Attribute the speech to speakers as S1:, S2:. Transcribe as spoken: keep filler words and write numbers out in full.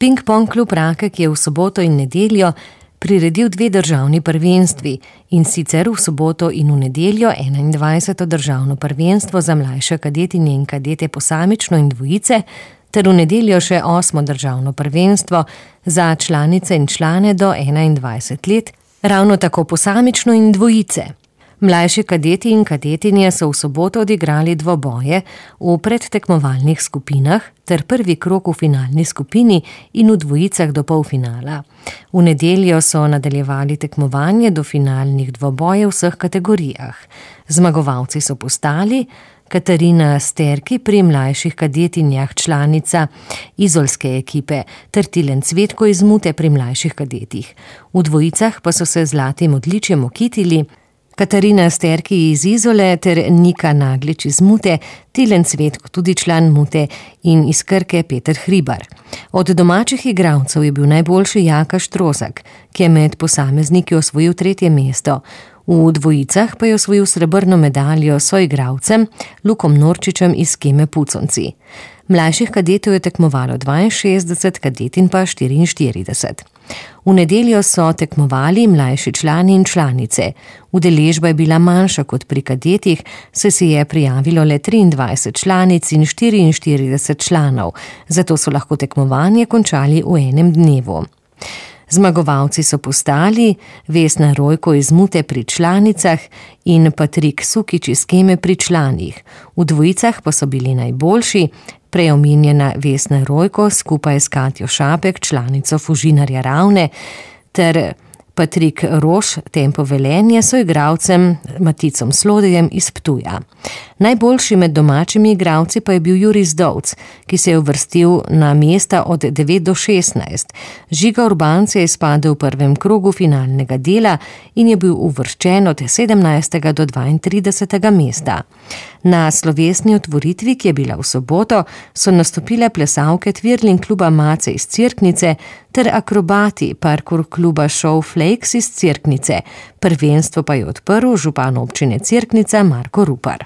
S1: Ping-pong klub Rakek je v soboto in nedeljo priredil dve državni prvenstvi, in sicer v soboto in v nedeljo enaindvajseto državno prvenstvo za mlajše kadetinje in kadete posamično in dvojice, ter v nedeljo še osmo državno prvenstvo za članice in člane do enaindvajset let, ravno tako posamično in dvojice. Mlajši kadeti in kadetinje so v soboto odigrali dvoboje v predtekmovalnih skupinah ter prvi krog v finalni skupini in v dvojicah do polfinala. V nedeljo so nadaljevali tekmovanje do finalnih dvobojev v vseh kategorijah. Zmagovalci so postali Katarina Sterki pri mlajših kadetinjah, članica izolske ekipe, ter Tilen Cvetko iz Mute pri mlajših kadetih. V dvojicah pa so se z zlatim odličjem okitili Katarina Sterki iz Izole ter Nika Naglič iz Mute, Tilen Cvetko, tudi član Mute, in iz Krke Peter Hribar. Od domačih igralcev je bil najboljši Jaka Štrozak, ki je med posamezniki osvojil tretje mesto. V dvojicah pa je osvojil srebrno medaljo s soigralcem Lukom Norčičem iz Keme Puconci. Mlajših kadetov je tekmovalo dvainšestdeset, kadetin pa štiriinštirideset. V nedeljo so tekmovali mlajši člani in članice. Udeležba je bila manjša kot pri kadetih, saj se je prijavilo le triindvajset članic in štiriinštirideset članov, zato so lahko tekmovanje končali v enem dnevu. Zmagovalci so postali Vesna Rojko iz Mute pri članicah in Patrik Sukič iz Keme pri članih. V dvojicah pa so bili najboljši prej omenjena Vesna Rojko skupaj s Katjo Šapek, članico Fužinarja Ravne, ter Patrik Roš, Tempo Velenje, so igralcem Maticom Slodejem iz Ptuja. Najboljši med domačimi igralci pa je bil Jurij Zdovc, ki se je uvrstil na mesta od devet do šestnajst. Žiga Urbanc je izpadel v prvem krogu finalnega dela in je bil uvrščen od sedemnajstega do dvaintridesetega mesta. Na slovesni otvoritvi, ki je bila v soboto, so nastopile plesalke Twirling kluba Mace iz Cerknice ter akrobati parkour kluba Show Flakes iz Cerknice. Prvenstvo pa je odprl župan občine Cerknica Marko Rupar.